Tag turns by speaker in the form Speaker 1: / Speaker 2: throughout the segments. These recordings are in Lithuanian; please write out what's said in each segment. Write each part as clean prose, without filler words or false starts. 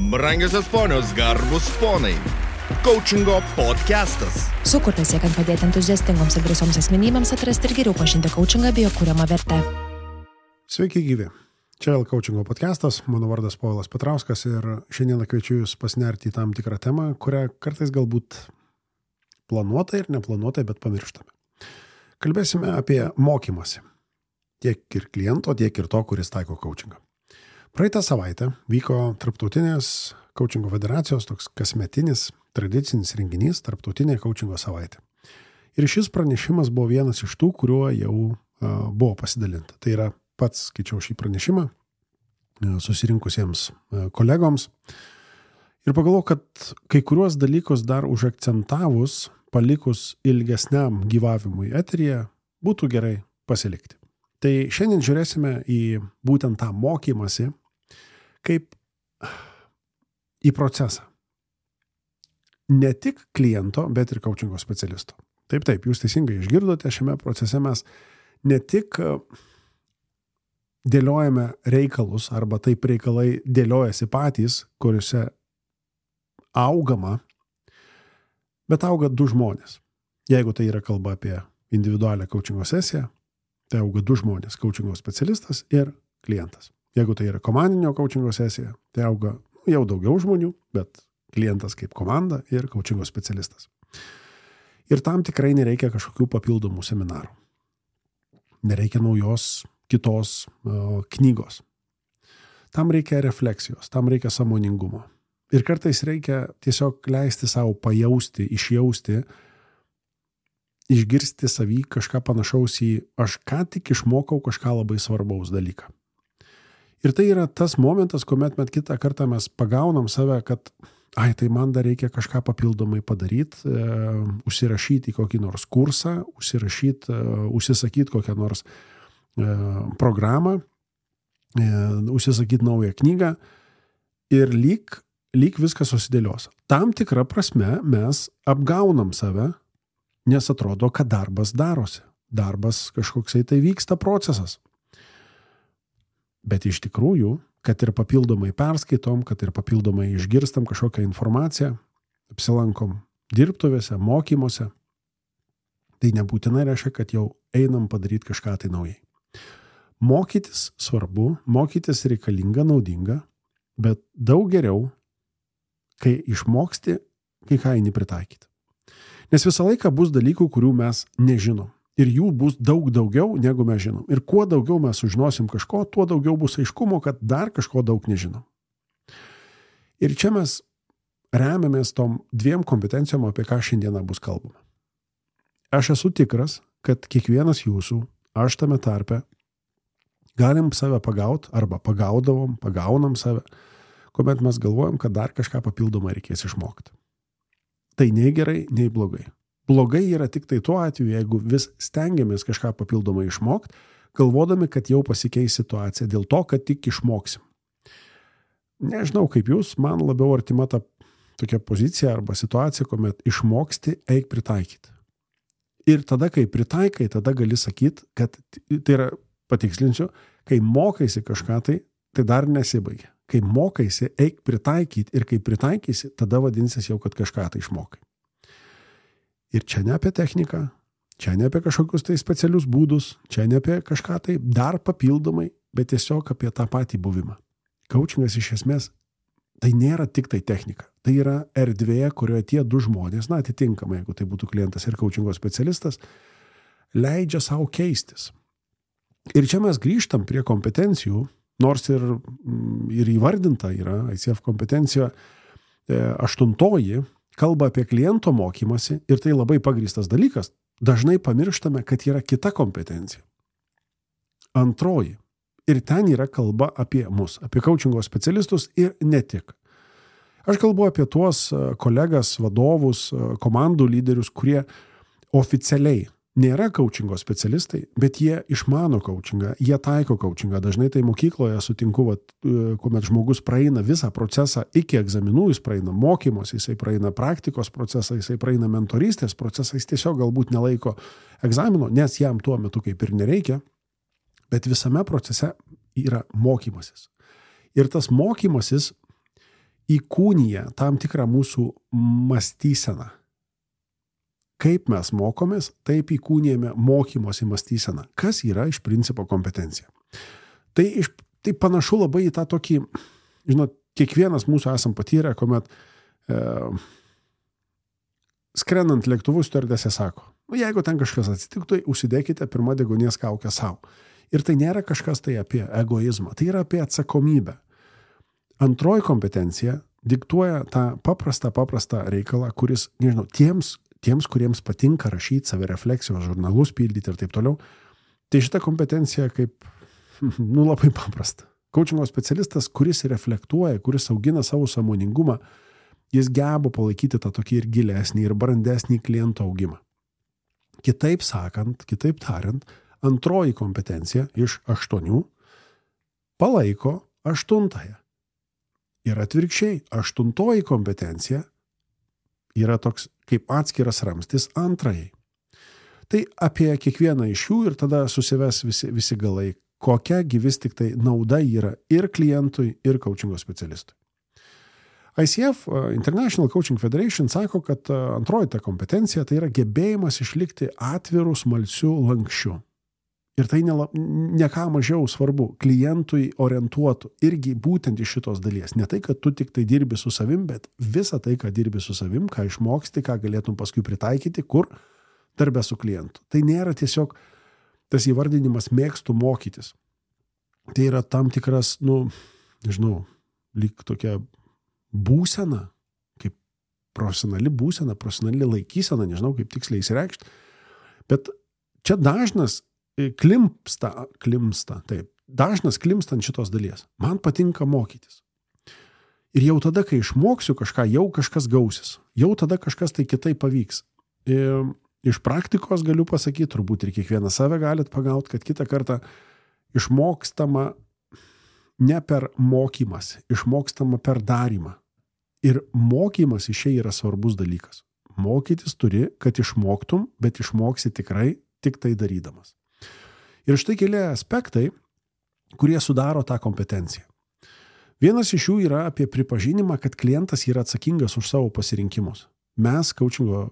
Speaker 1: Brangiosios ponios, garbus ponai. Coachingo podcastas.
Speaker 2: Sukurtas siekiant padėti entuziastingoms ir drąsioms asmenybėms atrasti ir geriau pažinti coachingą bei jo kuriamą vertę.
Speaker 3: Sveiki gyvi. Čia vėl Coachingo podcastas. Mano vardas Povilas Petrauskas ir šiandien kviečiu jūs pasinerti į tam tikrą temą, kurią kartais galbūt planuotai ir neplanuotai, bet pamirštame. Kalbėsime apie mokymąsi. Tiek ir kliento, tiek ir to, kuris taiko coachingą. Praeitą savaitę vyko Tarptautinės coachingo federacijos toks kasmetinis tradicinis renginys Tarptautinė coachingo savaitė. Ir šis pranešimas buvo vienas iš tų, kuriuo jau buvo pasidalinta. Tai yra pats skaičiau šį pranešimą susirinkusiems kolegoms ir pagalvojau, kad kai kuriuos dalykus dar užakcentavus, palikus ilgesniam gyvavimui eteryje, būtų gerai pasilikti. Tai šiandien žiūrėsime į būtent tą mokymąsi kaip į procesą. Ne tik kliento, bet ir coachingo specialisto. Taip, jūs teisingai išgirdote, šiame procese mes ne tik dėliojame reikalus, arba taip reikalai dėliojasi patys, kuriuose augama, bet auga du žmonės. Jeigu tai yra kalba apie individualią coachingo sesiją, tai auga du žmonės, coachingo specialistas ir klientas. Jeigu tai yra komandinio coachingo sesija, tai auga jau daugiau žmonių, bet klientas kaip komanda ir coachingo specialistas. Ir tam tikrai nereikia kažkokių papildomų seminarų. Nereikia naujos kitos knygos. Tam reikia refleksijos, tam reikia sąmoningumo. Ir kartais reikia tiesiog leisti savo pajausti, išjausti, išgirsti savy kažką panašaus į aš ką tik išmokau kažką labai svarbaus dalyką. Ir tai yra tas momentas, kuomet kitą kartą mes pagaunam save, kad tai man dar reikia kažką papildomai padaryti, užsirašyti į kokį nors kursą, užsisakyti kokią nors programą, užsisakyti naują knygą ir lyg viskas susidėlios. Tam tikrą prasme mes apgaunam save, nes atrodo, kad darbas darosi. Darbas kažkoksai tai vyksta procesas. Bet iš tikrųjų, kad ir papildomai perskaitom, kad ir papildomai išgirstam kažkokią informaciją, apsilankom dirbtuvėse, mokymuose, tai nebūtinai reiškia, kad jau einam padaryti kažką tai naujai. Mokytis svarbu, mokytis reikalinga, naudinga, bet daug geriau, kai išmoksti, kai ką eini pritaikyti. Nes visą laiką bus dalykų, kurių mes nežinom. Ir jų bus daug daugiau, negu mes žinom. Ir kuo daugiau mes sužinosim kažko, tuo daugiau bus aiškumo, kad dar kažko daug nežinom. Ir čia mes remiamės tom dviem kompetencijom, apie ką šiandieną bus kalbama. Aš esu tikras, kad kiekvienas jūsų, aš tame tarpe, galim save pagaut, arba pagaunam save, kuomet mes galvojam, kad dar kažką papildomai reikės išmokti. Tai nei gerai, nei blogai. Blogai yra tik tai tuo atveju, jeigu vis stengiamės kažką papildomai išmokti, galvodami, kad jau pasikeis situacija dėl to, kad tik išmoksim. Nežinau kaip jūs, man labiau artima ta tokia pozicija arba situacija, kuomet išmoksti, eik pritaikyti. Ir tada, kai pritaikai, tada gali sakyti, kad tai yra, patikslinsiu, kai mokaisi kažką tai dar nesibaigia. Kai mokaisi, eik pritaikyti ir kai pritaikysi, tada vadinsis jau, kad kažką tai išmokai. Ir čia ne apie techniką, čia ne apie kažkokius tai specialius būdus, čia ne apie kažką tai dar papildomai, bet tiesiog apie tą patį buvimą. Coachingas iš esmės tai nėra tik tai technika. Tai yra erdvė, kurioje tie du žmonės, atitinkamai, jeigu tai būtų klientas ir coachingo specialistas, leidžia savo keistis. Ir čia mes grįžtam prie kompetencijų, nors ir įvardinta yra ICF kompetencija 8, kalba apie kliento mokymasi ir tai labai pagrįstas dalykas. Dažnai pamirštame, kad yra kita kompetencija. 2. Ir ten yra kalba apie mus, apie coachingo specialistus ir ne tik. Aš kalbu apie tuos kolegas, vadovus, komandų lyderius, kurie oficialiai nėra coachingo specialistai, bet jie išmano coachingą, jie taiko coachingą. Dažnai tai mokykloje sutinku, kuomet žmogus praeina visą procesą iki egzaminų, jis praeina mokymus, jisai praeina praktikos procesą, jisai praeina mentorystės procesą, jis tiesiog galbūt nelaiko egzamino, nes jam tuo metu kaip ir nereikia, bet visame procese yra mokymasis. Ir tas mokymasis įkūnyja tam tikrą mūsų mąstyseną. Kaip mes mokomės, taip įkūnijame mokymosi mąstyseną. Kas yra iš principo kompetencija? Tai panašu labai į tą tokį, kiekvienas mūsų esam patyrę, kuomet skrendant lėktuvų stiuardesė sako, jeigu ten kažkas atsitiktų, užsidėkite pirmą deguonies kaukę savo. Ir tai nėra kažkas tai apie egoizmą, tai yra apie atsakomybę. Antroji kompetencija diktuoja tą paprastą reikalą, kuris, tiems, kuriems patinka rašyti savirefleksijos žurnalus, pildyti ir taip toliau, tai šita kompetencija kaip, labai paprasta. Coachingo specialistas, kuris reflektuoja, kuris augina savo sąmoningumą, jis geba palaikyti tą tokį ir gilesnį, ir brandesnį kliento augimą. Kitaip tariant, antroji kompetencija iš 8 palaiko 8. Ir atvirkščiai, 8 kompetencija yra toks kaip atskiras ramstis 2. Tai apie kiekvieną iš jų ir tada susives visi galai, kokia vis tik tai nauda yra ir klientui, ir coachingo specialistui. ICF, International Coaching Federation, sako, kad antroji ta kompetencija tai yra gebėjimas išlikti atvirų, smalsių, lankščių. Ir tai ne ką mažiau svarbu, klientui orientuotų irgi būtent iš šitos dalies. Ne tai, kad tu tik tai dirbi su savim, bet visą tai, ką dirbi su savim, ką išmoksti, ką galėtum paskui pritaikyti, kur darbe su klientu. Tai nėra tiesiog tas įvardinimas mėgstu mokytis. Tai yra tam tikras, lyg tokia būsena, kaip profesionali būsena, profesionali laikysena, nežinau, kaip tiksliai įsireikšti. Bet čia dažnas dažnas klimpsta ant šitos dalies. Man patinka mokytis. Ir jau tada, kai išmoksiu kažką, jau kažkas gausis. Jau tada kažkas tai kitaip pavyks. Iš praktikos galiu pasakyti, turbūt ir kiekvieną save galit pagauti, kad kitą kartą išmokstama ne per mokymas, išmokstama per darymą. Ir mokymas iš čia yra svarbus dalykas. Mokytis turi, kad išmoktum, bet išmoksi tikrai tik tai darydamas. Ir štai keli aspektai, kurie sudaro tą kompetenciją. Vienas iš jų yra apie pripažinimą, kad klientas yra atsakingas už savo pasirinkimus. Mes coachingo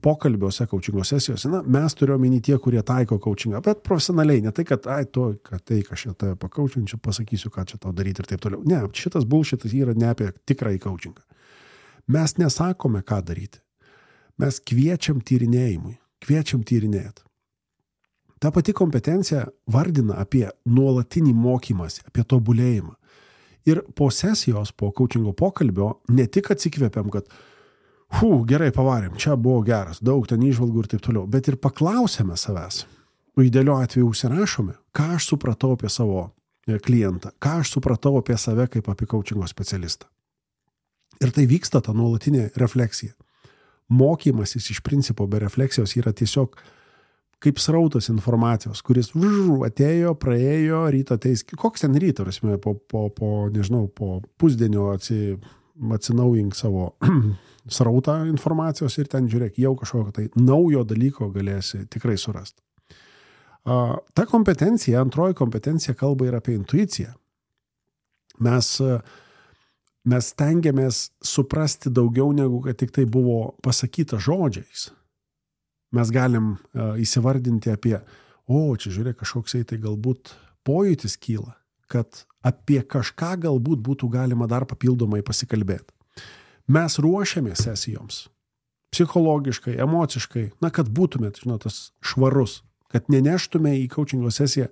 Speaker 3: pokalbiuose, coachingo sesijose, mes turėjome tie, kurie taiko coachingą, bet profesionaliai, ne tai, kad aš šitą pakaučinčiau, pasakysiu, ką čia tau daryti ir taip toliau. Ne, šitas bullshitas yra ne apie tikrąjį coachingą. Mes nesakome, ką daryti. Mes kviečiam tyrinėjimui, kviečiam tyrinėti. Ta pati kompetencija vardina apie nuolatinį mokymąsi, apie tobulėjimą. Ir po sesijos, po coachingo pokalbio, ne tik atsikvėpiam, kad gerai pavarėm, čia buvo geras, daug ten įžvalgų ir taip toliau, bet ir paklausėme savęs. O idealiu atveju užsirašome, ką aš supratau apie savo klientą, ką aš supratau apie save kaip apie coachingo specialistą. Ir tai vyksta ta nuolatinė refleksija. Mokymasis iš principo be refleksijos yra tiesiog kaip srautas informacijos, kuris atėjo, praėjo, ryto ateis. Koks ten ryto, po pusdienio atsinaujink savo srautą informacijos ir ten žiūrėk, jau kažkokio tai naujo dalyko galėsi tikrai surasti. Ta kompetencija, antroji kompetencija kalba ir apie intuiciją. Mes stengiamės suprasti daugiau negu kad tik tai buvo pasakyta žodžiais. Mes galim įsivardinti apie, čia žiūrėk, kažkoksai tai galbūt pojūtis kyla, kad apie kažką galbūt būtų galima dar papildomai pasikalbėti. Mes ruošiame sesijoms, psichologiškai, emociškai, kad būtumėt, tas švarus, kad neneštume į coachingo sesiją,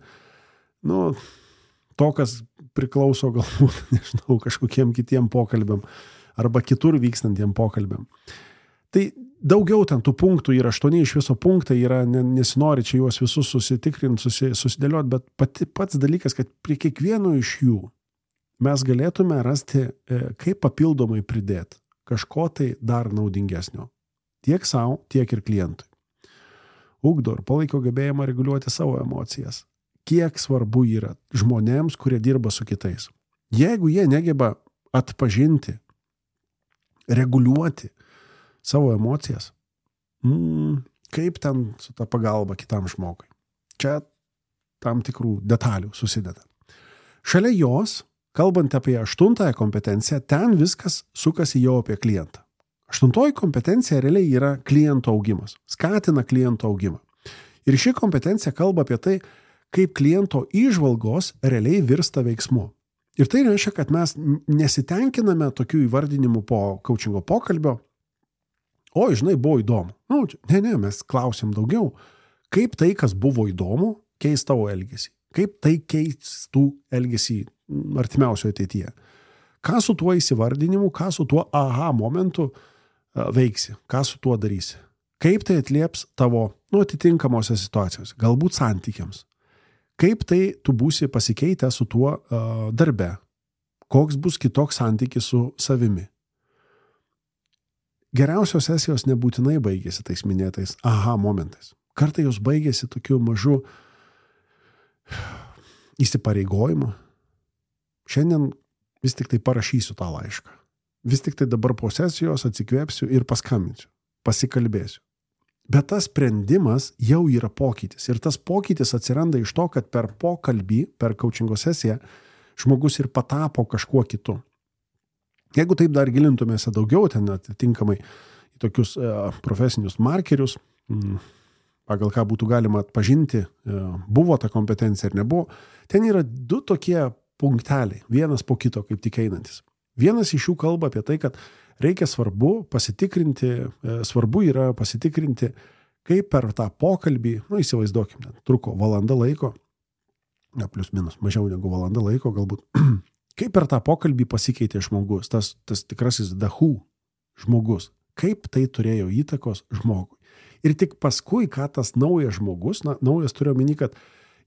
Speaker 3: to, kas priklauso galbūt, kažkokiem kitiem pokalbiam arba kitur vykstantiem pokalbiam. Tai daugiau ten tų punktų yra, 8 iš viso punktai yra, nesinori čia juos visus susitikrinti, susidėlioti, bet pats dalykas, kad prie kiekvieno iš jų mes galėtume rasti, kaip papildomai pridėti kažko tai dar naudingesnio. Tiek savo, tiek ir klientui. Ugdo ir palaiko gebėjimą reguliuoti savo emocijas. Kiek svarbu yra žmonėms, kurie dirba su kitais. Jeigu jie negeba atpažinti, reguliuoti savo emocijas, kaip ten su ta pagalba kitam žmogui. Čia tam tikrų detalių susideda. Šalia jos, kalbant apie 8 kompetenciją, ten viskas sukasi jau apie klientą. 8 kompetencija realiai yra kliento augimas, skatina kliento augimą. Ir ši kompetencija kalba apie tai, kaip kliento įžvalgos realiai virsta veiksmu. Ir tai reiškia, kad mes nesitenkiname tokių įvardinimų po coachingo pokalbio. O, žinai, buvo įdomu. Ne, mes klausim daugiau. Kaip tai, kas buvo įdomu, keis tavo elgesį? Kaip tai keistų elgesį artimiausioje ateityje? Ką su tuo įsivardinimu, ką su tuo aha momentu veiksi? Ką su tuo darysi? Kaip tai atlieps tavo atitinkamose situacijose, galbūt santykiams? Kaip tai tu būsi pasikeitę su tuo darbe? Koks bus kitoks santykis su savimi? Geriausios sesijos nebūtinai baigėsi tais minėtais aha momentais. Kartai jos baigėsi tokiu mažu įsipareigojimu. Šiandien vis tik tai parašysiu tą laišką. Vis tik tai dabar po sesijos atsikvėpsiu ir paskambinsiu, pasikalbėsiu. Bet tas sprendimas jau yra pokytis. Ir tas pokytis atsiranda iš to, kad per pokalbį, per coachingo sesiją, žmogus ir patapo kažkuo kitu. Jeigu taip dar gilintumėse daugiau, ten atitinkamai į tokius profesinius markerius, pagal ką būtų galima atpažinti, buvo ta kompetencija ar nebuvo, ten yra 2 tokie punkteliai, vienas po kito kaip tik einantis. Vienas iš jų kalba apie tai, kad svarbu yra pasitikrinti, kaip per tą pokalbį, įsivaizduokime, truko valanda laiko, plius minus, mažiau negu valanda laiko galbūt, kaip per tą pokalbį pasikeitė žmogus, tas tikrasis dahu žmogus, kaip tai turėjo įtakos žmogui. Ir tik paskui, ką tas naujas žmogus, naujas turiu omeny, kad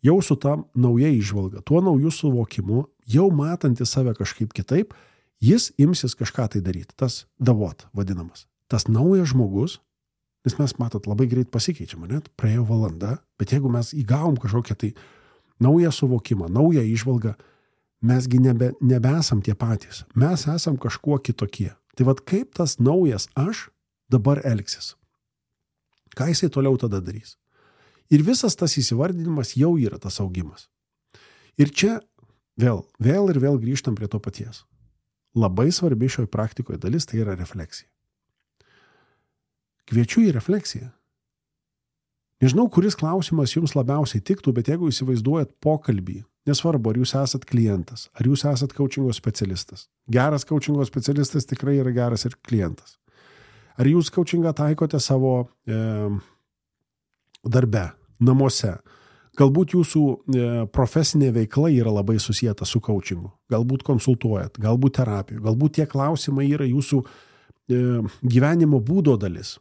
Speaker 3: jau su ta nauja įžvalga, tuo naujų suvokimu, jau matantis save kažkaip kitaip, jis imsis kažką tai daryti, tas davot vadinamas. Tas naujas žmogus, nes mes matot labai greit pasikeičiam, net praėjo valanda, bet jeigu mes įgavom kažkokią tai naują suvokimą, naują įžvalgą, mesgi nebesam tie patys, mes esam kažkuo kitokie. Tai vat kaip tas naujas aš dabar elgsis? Ką jisai toliau tada darys? Ir visas tas įsivardinimas jau yra tas augimas. Ir čia vėl grįžtam prie to paties. Labai svarbi šioj praktikoje dalis tai yra refleksija. Kviečiu į refleksiją. Nežinau, kuris klausimas jums labiausiai tiktų, bet jeigu įsivaizduojat pokalbį, nesvarbu, ar jūs esat klientas, ar jūs esat coachingo specialistas. Geras coachingo specialistas tikrai yra geras ir klientas. Ar jūs coachingą taikote savo darbe, namuose? Galbūt jūsų profesinė veikla yra labai susijęta su coachingu. Galbūt konsultuojat, galbūt terapijų, galbūt tie klausimai yra jūsų gyvenimo būdo dalis.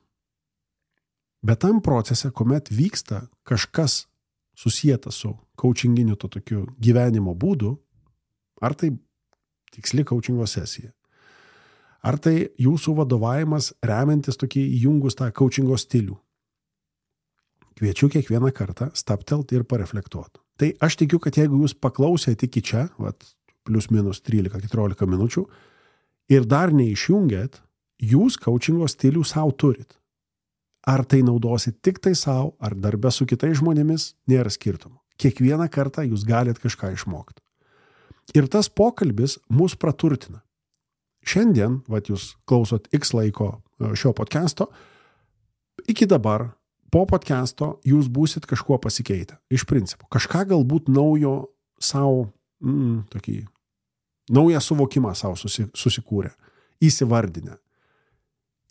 Speaker 3: Bet tam procese, kuomet vyksta kažkas susijęta su coachinginiu to tokiu gyvenimo būdu, ar tai tiksli coachingo sesija, ar tai jūsų vadovavimas remiantis tokį įjungus tą coachingo stilių, kviečiu kiekvieną kartą staptelt ir pareflektuoti. Tai aš tikiu, kad jeigu jūs paklausėte iki čia, plius minus 13-14 minučių, ir dar neišjungėt, jūs coachingo stilių savo turit. Ar tai naudosit tik tai savo, ar darbe su kitais žmonėmis, nėra skirtumo. Kiekvieną kartą jūs galite kažką išmokti. Ir tas pokalbis mus praturtina. Šiandien, jūs klausot X laiko šio podcasto, iki dabar, po podcasto jūs būsit kažkuo pasikeitę. Iš principo. Kažką galbūt naujo savo, tokį naują suvokimą savo susikūrę, įsivardinę.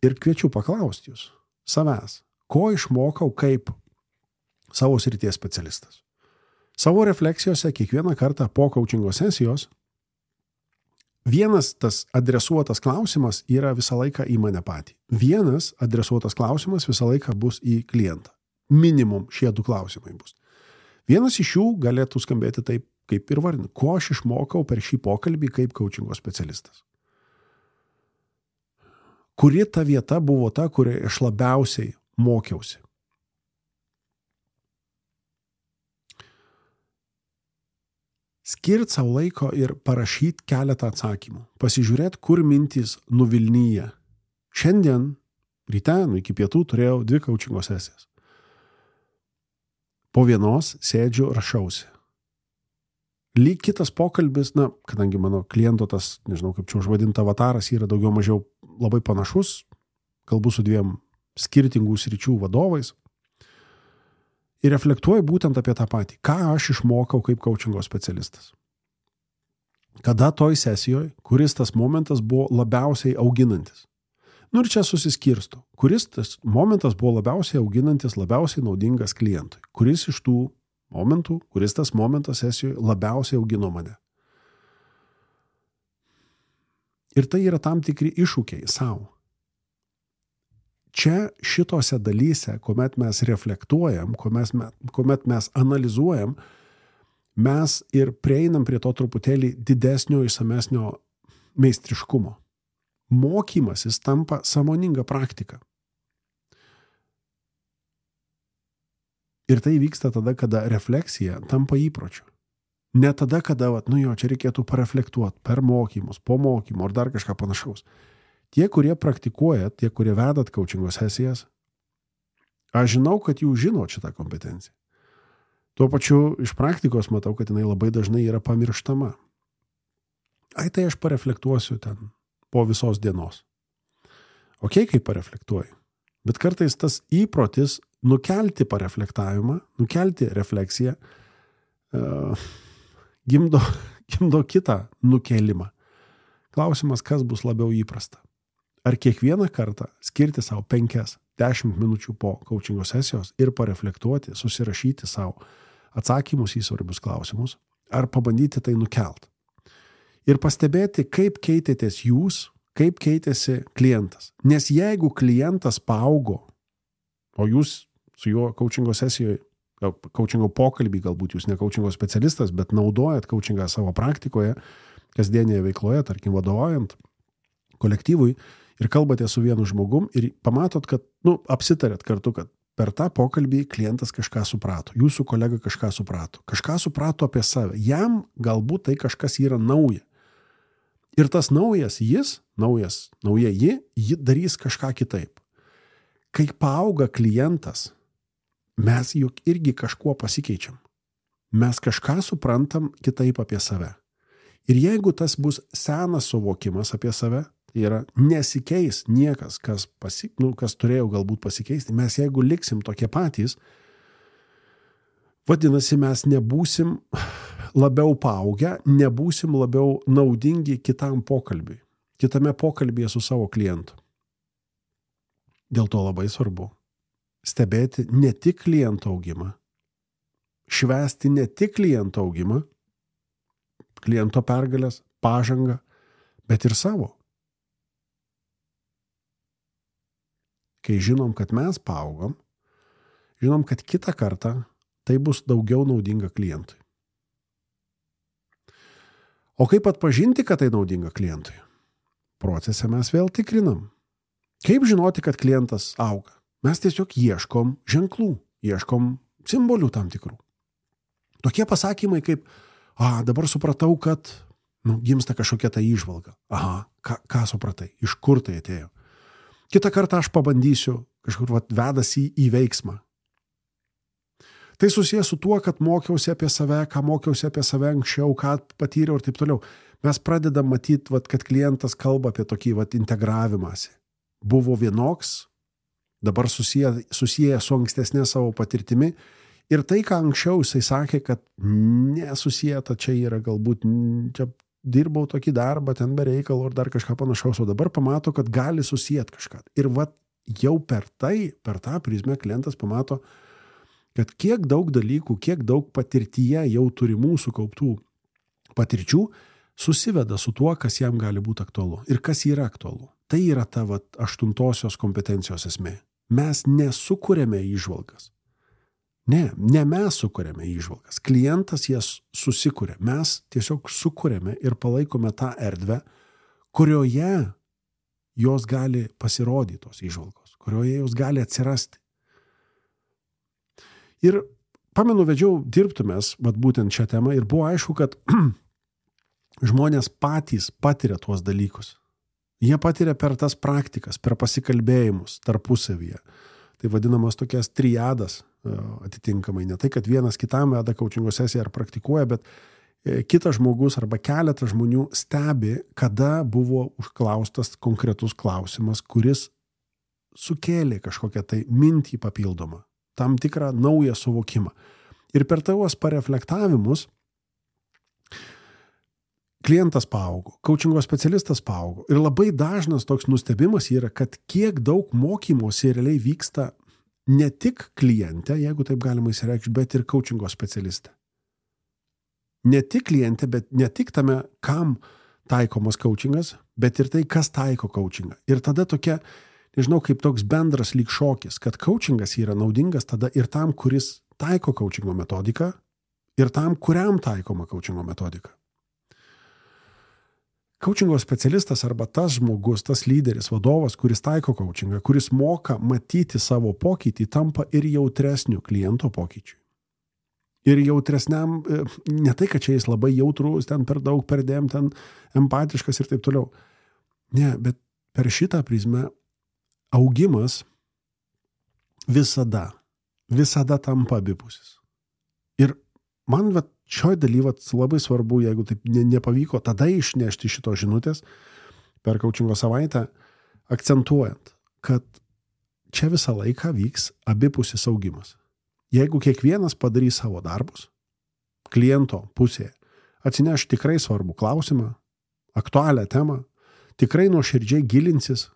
Speaker 3: Ir kviečiu paklausti jūs, savęs, ko išmokau kaip savo srities specialistas. Savo refleksijose kiekvieną kartą po coachingo sesijos vienas tas adresuotas klausimas yra visą laiką į mane patį. Vienas adresuotas klausimas visą laiką bus į klientą. Minimum šie 2 klausimai bus. Vienas iš jų galėtų skambėti taip, kaip ir vardinu. Ko aš išmokau per šį pokalbį kaip coachingo specialistas? Kuri ta vieta buvo ta, kurioje aš labiausiai mokiausi? Skirt savo laiko ir parašyti keletą atsakymų. Pasižiūrėt, kur mintys nuvilnyja. Šiandien, ryte, iki pietų turėjau 2 coachingo sesijas. Po vienos sėdžiu, rašausi. lyg kitas pokalbis, kadangi mano kliento tas, nežinau kaip čia užvadinta avataras, yra daugiau mažiau labai panašus, kalbu su 2 skirtingų sričių vadovais ir reflektuoju būtent apie tą patį. Ką aš išmokau kaip coachingo specialistas? Kada toj sesijoje, kuris tas momentas buvo labiausiai auginantis? Ir čia susiskirsto. Kuris tas momentas buvo labiausiai auginantis, labiausiai naudingas klientui? Kuris iš tų momentų, kuris tas momentas sesijoje labiausiai augino mane? Ir tai yra tam tikri iššūkiai savo. Čia šitose dalyse, kuomet mes reflektuojam, kuomet mes analizuojam, mes ir prieinam prie to truputėlį didesnio, išsamesnio meistriškumo. Mokymasis tampa sąmoninga praktika. Ir tai vyksta tada, kada refleksija tampa įpročiu. Ne tada, kada, čia reikėtų pareflektuoti per mokymus, po mokymo ar dar kažką panašaus. Tie, kurie praktikuoja, tie, kurie vedat coachingo sesijas, aš žinau, kad jūs žinot šitą kompetenciją. Tuo pačiu iš praktikos matau, kad jinai labai dažnai yra pamirštama. Tai aš pareflektuosiu ten po visos dienos. Kaip pareflektuoju. Bet kartais tas įprotis nukelti pareflektavimą, nukelti refleksiją, gimdo kitą nukelimą. Klausimas, kas bus labiau įprasta. Ar kiekvieną kartą skirti savo 5-10 minučių po coachingo sesijos ir pareflektuoti, susirašyti savo atsakymus į svarbius klausimus, ar pabandyti tai nukelt. Ir pastebėti, kaip keitėtės jūs, kaip keitėsi klientas. Nes jeigu klientas paaugo, o jūs su juo coachingo sesijoje, coachingo pokalbį, galbūt jūs ne coachingo specialistas, bet naudojat coachingą savo praktikoje, kasdienėje veikloje, tarkim vadovaujant kolektyvui ir kalbate su vienu žmogum ir pamatot, kad, apsitarėt kartu, kad per tą pokalbį klientas kažką suprato, jūsų kolega kažką suprato apie save. Jam galbūt tai kažkas yra nauja. Ir tas nauja ji darys kažką kitaip. Kai paauga klientas, mes juk irgi kažkuo pasikeičiam. Mes kažką suprantam kitaip apie save. Ir jeigu tas bus senas suvokimas apie save, tai yra nesikeis niekas, kas turėjo galbūt pasikeisti, mes jeigu liksim tokie patys, vadinasi, mes nebūsim labiau paaugę, nebūsim labiau naudingi kitam pokalbiui, kitame pokalbyje su savo klientu. Dėl to labai svarbu stebėti ne tik kliento augimą, švęsti ne tik kliento augimą, kliento pergalės, pažangą, bet ir savo. Kai žinom, kad mes paaugom, žinom, kad kitą kartą tai bus daugiau naudinga klientui. O kaip atpažinti, kad tai naudinga klientui? Procese mes vėl tikrinam. Kaip žinoti, kad klientas auga? Mes tiesiog ieškom ženklų, ieškom simbolių tam tikrų. Tokie pasakymai kaip, dabar supratau, kad gimsta kažkokia ta įžvalga. Ką supratai? Iš kur tai atėjo? Kitą kartą aš pabandysiu, kažkur vedasi į veiksmą. Tai susijęs su tuo, kad mokiausi apie save, ką mokiausi apie save anksčiau, ką patyriau ir taip toliau. Mes pradedam matyti, kad klientas kalba apie tokį integravimąsi. Buvo vienoks, dabar susiję su ankstesnė savo patirtimi. Ir tai, ką anksčiau jisai sakė, kad nesusijęta čia yra galbūt, čia dirbau tokį darbą, ten be reikalo ir dar kažką panašaus, o dabar pamato, kad gali susijęti kažką. Ir jau per tą prizmę klientas pamato, kad kiek daug dalykų, kiek daug patirtyje jau turimų sukauptų patirčių susiveda su tuo, kas jam gali būti aktualu ir kas yra aktualu. Tai yra ta 8 kompetencijos esmė. Mes nesukuriame įžvalgas. Ne mes sukuriame įžvalgas. Klientas jas susikuria. Mes tiesiog sukuriame ir palaikome tą erdvę, kurioje jos gali pasirodyti tos įžvalgos, kurioje jos gali atsirasti. Ir pamenu, vedžiau dirbtumės, būtent šią temą, ir buvo aišku, kad žmonės patys patiria tuos dalykus. Jie patiria per tas praktikas, per pasikalbėjimus tarpusavyje. Tai vadinamas tokias triadas atitinkamai. Ne tai, kad vienas kitam veda coachingo sesiją ar praktikuoja, bet kitas žmogus arba keletas žmonių stebi, kada buvo užklaustas konkretus klausimas, kuris sukėlė kažkokią tai mintį papildomą, tam tikrą naują suvokimą. Ir per tavos pareflektavimus klientas paaugo, coachingo specialistas paaugo. Ir labai dažnas toks nustebimas yra, kad kiek daug mokymosi realiai vyksta ne tik kliente, jeigu taip galima įsireikšti, bet ir coachingo specialiste. Ne tik kliente, bet ne tik tame, kam taikomas coachingas, bet ir tai, kas taiko coachingą. Ir tada tokia, nežinau, kaip toks bendras lyg šokis, kad coachingas yra naudingas tada ir tam, kuris taiko coachingo metodiką, ir tam, kuriam taikoma coachingo metodika. Coachingo specialistas arba tas žmogus, tas lyderis, vadovas, kuris taiko coachingą, kuris moka matyti savo pokytį, tampa ir jautresniu kliento pokyčiui. Ir jautresniam, ne tai, kad čia jis labai jautrus, ten per daug perdėm, ten empatiškas ir taip toliau. Ne, bet per šitą prizmę augimas visada tampa abipusis. Ir man šioj daly labai svarbu, jeigu taip nepavyko, tada išnešti šitos žinutės per coachingo savaitę, akcentuojant, kad čia visą laiką vyks abipusis augimas. Jeigu kiekvienas padarys savo darbus, kliento pusėje, atsineš tikrai svarbų klausimą, aktualią temą, tikrai nuoširdžiai gilinsis,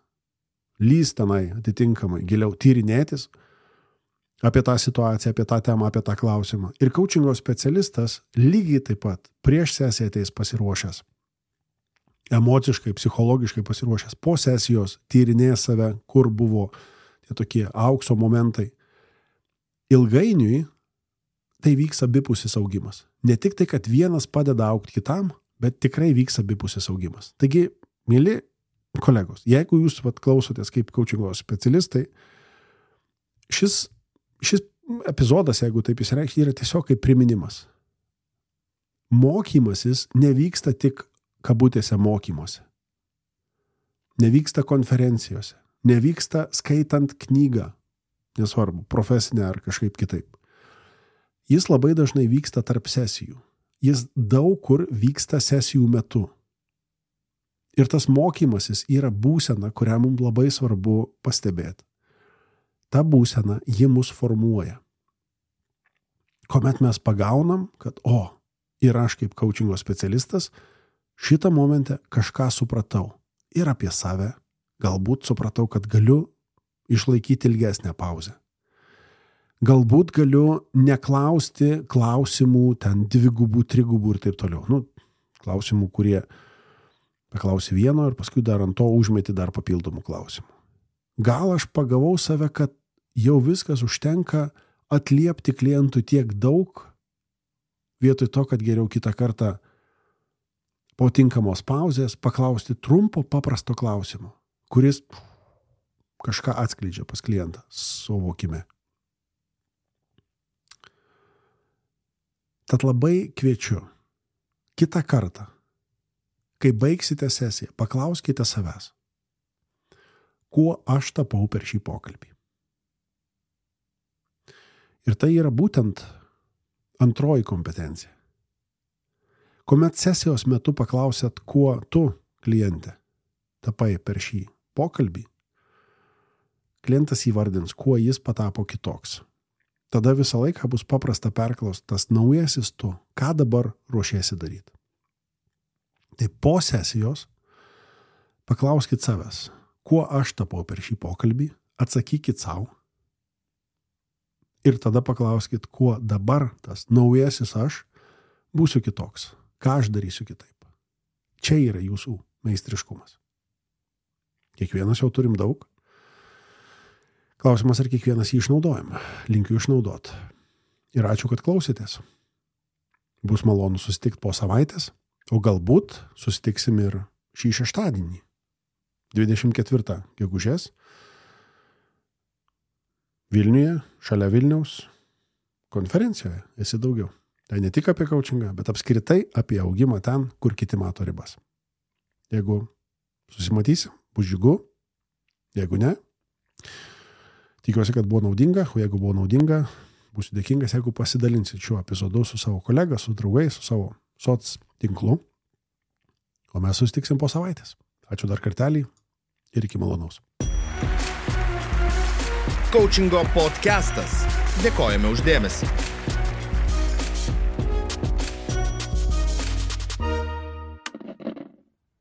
Speaker 3: lys tenai atitinkamai, giliau tyrinėtis apie tą situaciją, apie tą temą, apie tą klausimą. Ir coachingo specialistas lygiai taip pat prieš sesiją ateis pasiruošęs, emociškai, psichologiškai pasiruošęs, po sesijos tyrinės save, kur buvo tie tokie aukso momentai. Ilgainiui tai vyks abipusis augimas. Ne tik tai, kad vienas padeda augti kitam, bet tikrai vyks abipusis augimas. Taigi, mieli kolegos, jeigu jūs klausotės kaip coachingo specialistai, šis epizodas, jeigu taip įsireikšti, yra tiesiog kaip priminimas. Mokymasis nevyksta tik kabutėse mokymuose. Nevyksta konferencijose. Nevyksta skaitant knygą. Nesvarbu, profesinė ar kažkaip kitaip. Jis labai dažnai vyksta tarp sesijų. Jis daug kur vyksta sesijų metu. Ir tas mokymasis yra būsena, kurią mums labai svarbu pastebėti. Ta būsena, ji mus formuoja. Kuomet mes pagaunam, kad, ir aš kaip coachingo specialistas, šitą momentą kažką supratau. Ir apie save. Galbūt supratau, kad galiu išlaikyti ilgesnę pauzę. Galbūt galiu neklausti klausimų, ten 2, 3 ir taip toliau. Klausimų, kurie paklausi vieno ir paskui dar ant to užmeti dar papildomų klausimų. Gal aš pagavau save, kad jau viskas užtenka atliepti klientui tiek daug, vietoj to, kad geriau kitą kartą po tinkamos pauzės paklausti trumpo, paprasto klausimo, kuris kažką atskleidžia pas klientą suvokime. Tad labai kviečiu kitą kartą, kai baigsite sesiją, paklauskite savęs, kuo aš tapau per šį pokalbį. Ir tai yra būtent antroji kompetencija. Kuomet sesijos metu paklausėt, kuo tu, kliente, tapai per šį pokalbį, klientas įvardins, kuo jis patapo kitoks. Tada visą laiką bus paprasta perklausti tas naujasis tu, ką dabar ruošiesi daryti. Tai po sesijos paklauskit savęs, kuo aš tapau per šį pokalbį, atsakykit savo ir tada paklauskit, kuo dabar tas naujasis aš būsiu kitoks, ką aš darysiu kitaip. Čia yra jūsų meistriškumas. Kiekvienas jau turim daug. Klausimas, ar kiekvienas jį išnaudojam. Linkiu išnaudot. Ir ačiū, kad klausėtės. Bus malonu susitikti po savaitės, o galbūt susitiksim ir šį šeštadienį, 24 gegužės, Vilniuje, šalia Vilniaus, konferencijoje esi daugiau. Tai ne tik apie coachingą, bet apskritai apie augimą ten, kur kiti mato ribas. Jeigu susimatysim, bus džiugu. Jeigu ne, tikiuosi, kad buvo naudinga, o jeigu buvo naudinga, būsiu dėkingas, jeigu pasidalinsit šiuo epizodu su savo kolega, su draugais, su savo soc tinklų. O mes susitiksim po savaitės. Ačiū dar kartelį ir iki malonaus.
Speaker 1: Coachingo podcastas. Dėkojame už dėmesį.